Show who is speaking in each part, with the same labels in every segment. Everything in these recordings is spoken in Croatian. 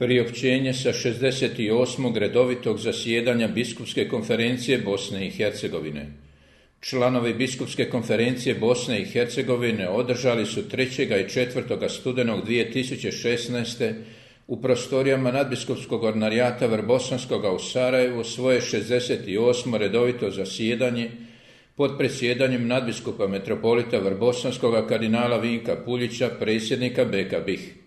Speaker 1: Priopćenje sa 68. redovitog zasjedanja Biskupske konferencije Bosne i Hercegovine. Članovi Biskupske konferencije Bosne i Hercegovine održali su 3. i 4. studenog 2016. u prostorijama nadbiskupskog ordinarijata Vrbosanskoga u Sarajevu svoje 68. redovito zasjedanje pod predsjedanjem nadbiskupa metropolita Vrbosanskoga kardinala Vinka Puljića, predsjednika BK BiH.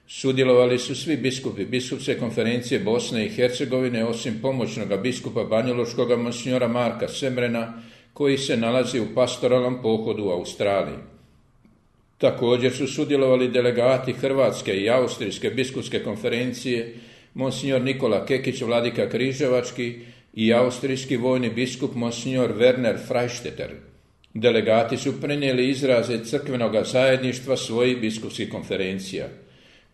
Speaker 1: Sudjelovali su svi biskupi Biskupske konferencije Bosne i Hercegovine osim pomoćnoga biskupa banjalučkoga monsinjora Marka Semrena, koji se nalazi u pastoralnom pohodu u Australiji. Također su sudjelovali delegati Hrvatske i Austrijske biskupske konferencije, monsinjor Nikola Kekić, vladika Križevački, i austrijski vojni biskup monsinjor Werner Freistetter. Delegati su prenijeli izraze crkvenoga zajedništva svojih biskupskih konferencija.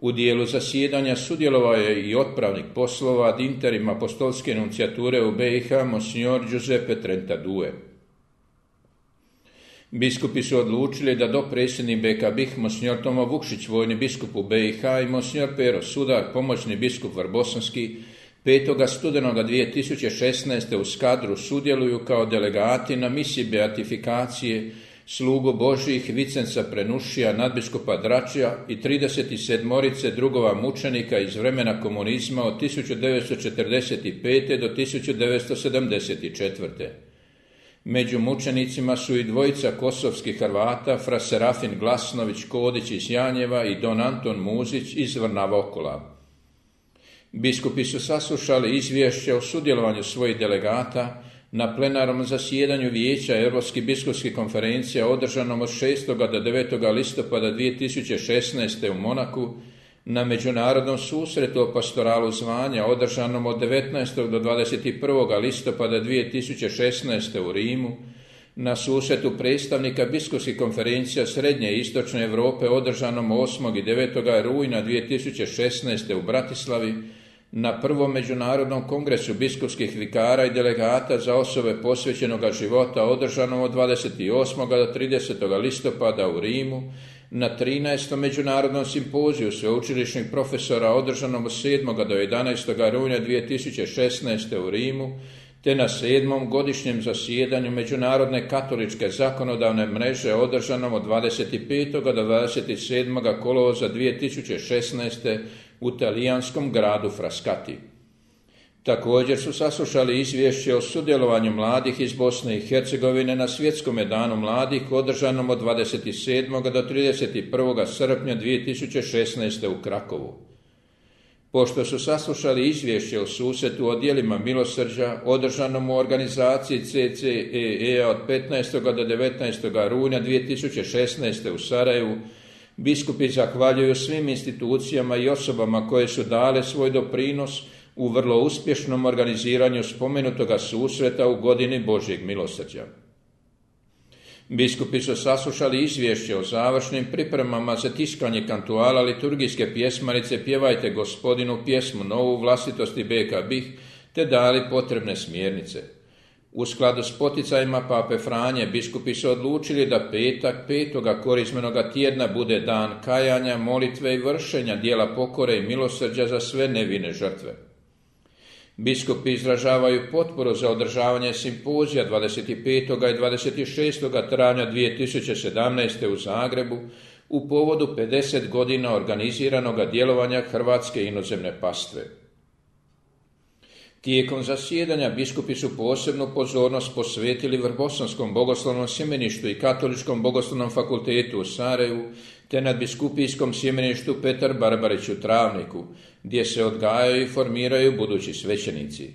Speaker 1: U dijelu zasjedanja sudjelovao je i otpravnik poslova ad interim apostolske nuncijature u BiH monsinjor Giuseppe Trentadue. Biskupi su odlučili da dopredsjednik BK BiH monsinjor Tomo Vukšić, vojni biskup u BiH, i monsinjor Pero Sudar, pomoćni biskup Vrbosanski, 5. studenoga 2016. u Skadru sudjeluju kao delegati na misiji beatifikacije slugu Božjih Vicenca Prenušija, nadbiskupa Dračija i 37 drugova mučenika iz vremena komunizma od 1945. do 1974. Među mučenicima su i dvojica kosovskih Hrvata, fra Serafin Glasnović Kodić iz Janjeva i don Anton Muzić iz Vrnavokola. Biskupi su saslušali izvješće o sudjelovanju svojih delegata na plenarnom zasjedanju Vijeća Europskih biskupskih konferencija održanom od 6. do 9. listopada 2016. u Monaku, na međunarodnom susretu o pastoralu zvanja održanom od 19. do 21. listopada 2016. u Rimu, na susretu predstavnika biskupskih konferencija Srednje i Istočne Europe održanom 8. i 9. rujna 2016. u Bratislavi, na prvom međunarodnom kongresu biskupskih vikara i delegata za osobe posvećenoga života održanom od 28. do 30. listopada u Rimu, na 13. međunarodnom simpoziju sveučilišnih profesora održanom od 7. do 11. rujna 2016. u Rimu, te na 7. godišnjem zasjedanju Međunarodne katoličke zakonodavne mreže održanom od 25. do 27. kolovoza 2016. u talijanskom gradu Frascati. Također su saslušali izvješće o sudjelovanju mladih iz Bosne i Hercegovine na Svjetskom danu mladih održanom od 27. do 31. srpnja 2016. u Krakovu. Pošto su saslušali izvješće o susretu o djelima milosrđa održanom u organizaciji CCEE od 15. do 19. rujna 2016. u Sarajevu, biskupi zahvaljuju svim institucijama i osobama koje su dale svoj doprinos u vrlo uspješnom organiziranju spomenutoga susreta u godini Božjeg milosrđa. Biskupi su saslušali izvješće o završnim pripremama za tiskanje kantuala liturgijske pjesmarice Pjevajte Gospodinu pjesmu novu vlastitosti BK BiH, te dali potrebne smjernice. U skladu s poticajima Pape Franje, biskupi su odlučili da petak 5. korizmenoga tjedna bude dan kajanja, molitve i vršenja dijela pokore i milosrđa za sve nevine žrtve. Biskupi izražavaju potporu za održavanje simpozija 25. i 26. travnja 2017. u Zagrebu u povodu 50 godina organiziranoga djelovanja Hrvatske inozemne pastve. Tijekom zasjedanja biskupi su posebnu pozornost posvetili Vrbosanskom bogoslovnom sjemeništu i Katoličkom bogoslovnom fakultetu u Sarajevu, te nadbiskupijskom sjemeništu Petar Barbarić u Travniku, gdje se odgajaju i formiraju budući svećenici.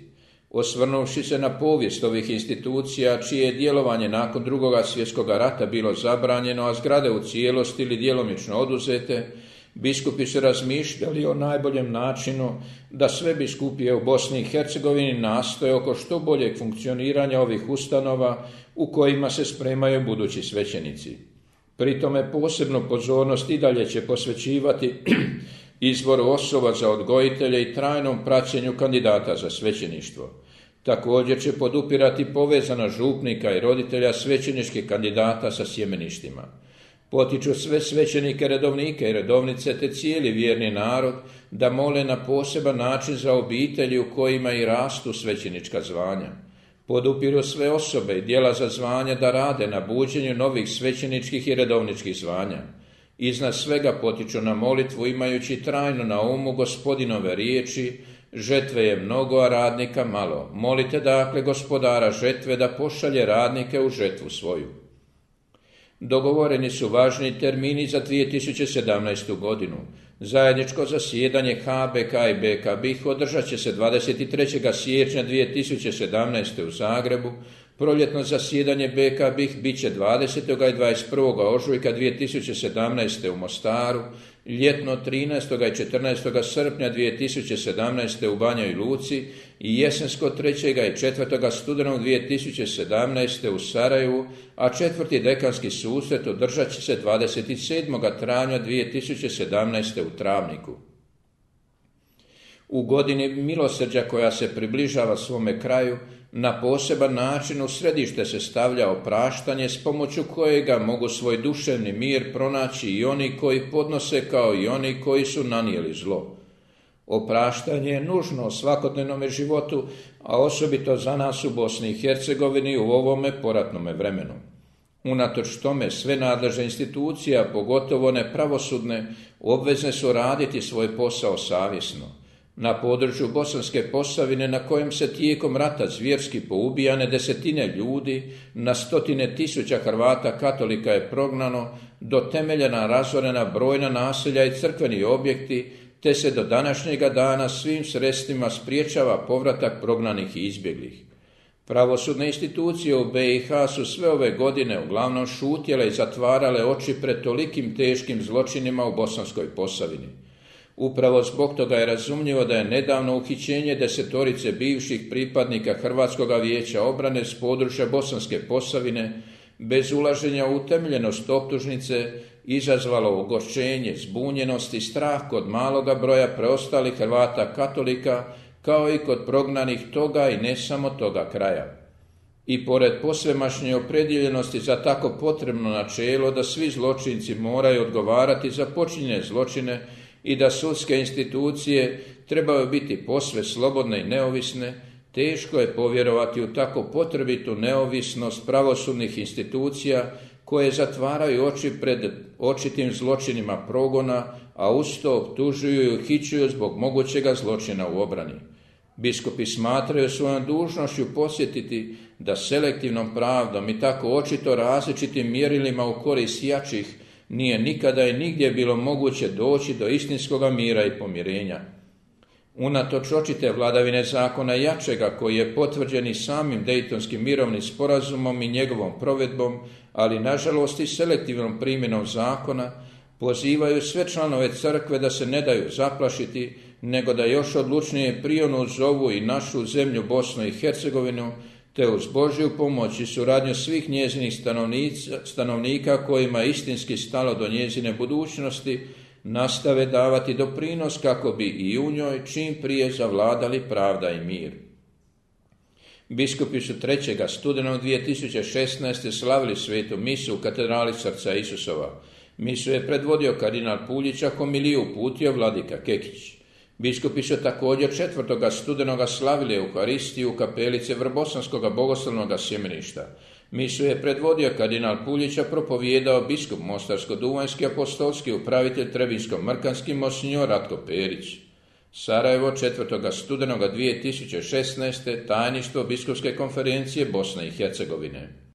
Speaker 1: Osvrnuvši se na povijest ovih institucija, čije je djelovanje nakon II. Svjetskog rata bilo zabranjeno, a zgrade u cijelosti ili djelomično oduzete, biskupi su razmišljali o najboljem načinu da sve biskupije u Bosni i Hercegovini nastoje oko što boljeg funkcioniranja ovih ustanova u kojima se spremaju budući svećenici. Pri tome posebnu pozornost i dalje će posvećivati izboru osoba za odgojitelje i trajnom praćenju kandidata za svećeništvo. Također će podupirati povezana župnika i roditelja svećeničkih kandidata sa sjemeništima. Potiču sve svećenike, redovnike i redovnice te cijeli vjerni narod da mole na poseban način za obitelji u kojima i rastu svećenička zvanja. Podupiru sve osobe i djela za zvanja da rade na buđenju novih svećeničkih i redovničkih zvanja. Iznad svega potiču na molitvu imajući trajno na umu Gospodinove riječi: žetve je mnogo, a radnika malo. Molite dakle Gospodara žetve da pošalje radnike u žetvu svoju. Dogovoreni su važni termini za 2017. godinu. Zajedničko zasjedanje HBK i BK BiH održat će se 23. siječnja 2017. u Zagrebu, proljetno zasjedanje BK BiH bit će 20. i 21. ožujka 2017. u Mostaru, ljetno 13. i 14. srpnja 2017. u Banjoj Luci i jesensko 3. i 4. studenog 2017. u Sarajevu, a četvrti dekanski susret održat će se 27. travnja 2017. u Travniku. U godini milosrđa koja se približava svome kraju, na poseban način u središte se stavlja opraštanje s pomoću kojega mogu svoj duševni mir pronaći i oni koji podnose kao i oni koji su nanijeli zlo. Opraštanje je nužno u svakodnevnom životu, a osobito za nas u Bosni i Hercegovini u ovome poratnome vremenu. Unatoč tome sve nadležne institucije, a pogotovo one pravosudne, obvezne su raditi svoj posao savjesno. Na području Bosanske Posavine, na kojem se tijekom rata zvjerski poubijane desetine ljudi, na stotine tisuća Hrvata katolika je prognano, do temeljena razorena brojna naselja i crkveni objekti, te se do današnjega dana svim sredstvima spriječava povratak prognanih i izbjeglih. Pravosudne institucije u BiH su sve ove godine uglavnom šutjele i zatvarale oči pred tolikim teškim zločinima u Bosanskoj Posavini. Upravo zbog toga je razumljivo da je nedavno uhićenje 10 bivših pripadnika Hrvatskog vijeća obrane s područja Bosanske Posavine bez ulaženja u utemeljenost optužnice izazvalo ogorčenje, zbunjenost i strah kod maloga broja preostalih Hrvata katolika, kao i kod prognanih toga i ne samo toga kraja. I pored posvemašnje opredjeljenosti za tako potrebno načelo da svi zločinci moraju odgovarati za počinjene zločine i da sudske institucije trebaju biti posve slobodne i neovisne, teško je povjerovati u tako potrebitu neovisnost pravosudnih institucija koje zatvaraju oči pred očitim zločinima progona, a uz to optužuju i uhićuju zbog mogućega zločina u obrani. Biskupi smatraju svojom dužnošću podsjetiti da selektivnom pravdom i tako očito različitim mjerilima u korist jačih nije nikada i nigdje bilo moguće doći do istinskoga mira i pomirenja. Unatoč očite vladavine zakona jačega koji je potvrđen i samim Dejtonskim mirovnim sporazumom i njegovom provedbom, ali nažalost i selektivnom primjenom zakona, pozivaju sve članove crkve da se ne daju zaplašiti, nego da još odlučnije prionu zovu i našu zemlju Bosnu i Hercegovinu, te uz Božju pomoć i suradnju svih njezinih stanovnika kojima je istinski stalo do njezine budućnosti, nastave davati doprinos kako bi i u njoj čim prije zavladali pravda i mir. Biskupi su 3. studenog 2016. slavili svetu misu u katedrali Srca Isusova. Misu je predvodio kardinal Puljić, a homiliju uputio vladika Kekić. Biskupi su također 4. studenoga slavili Euharistiju u kapelice Vrbosanskog bogoslovnog sjemeništa. Misu je predvodio kardinal Puljić, a propovijedao biskup Mostarsko-duvanjski apostolski upravitelj Trebinsko-mrkanski monsinjor Ratko Perić. Sarajevo 4. studenoga 2016. tajništvo Biskupske konferencije Bosne i Hercegovine.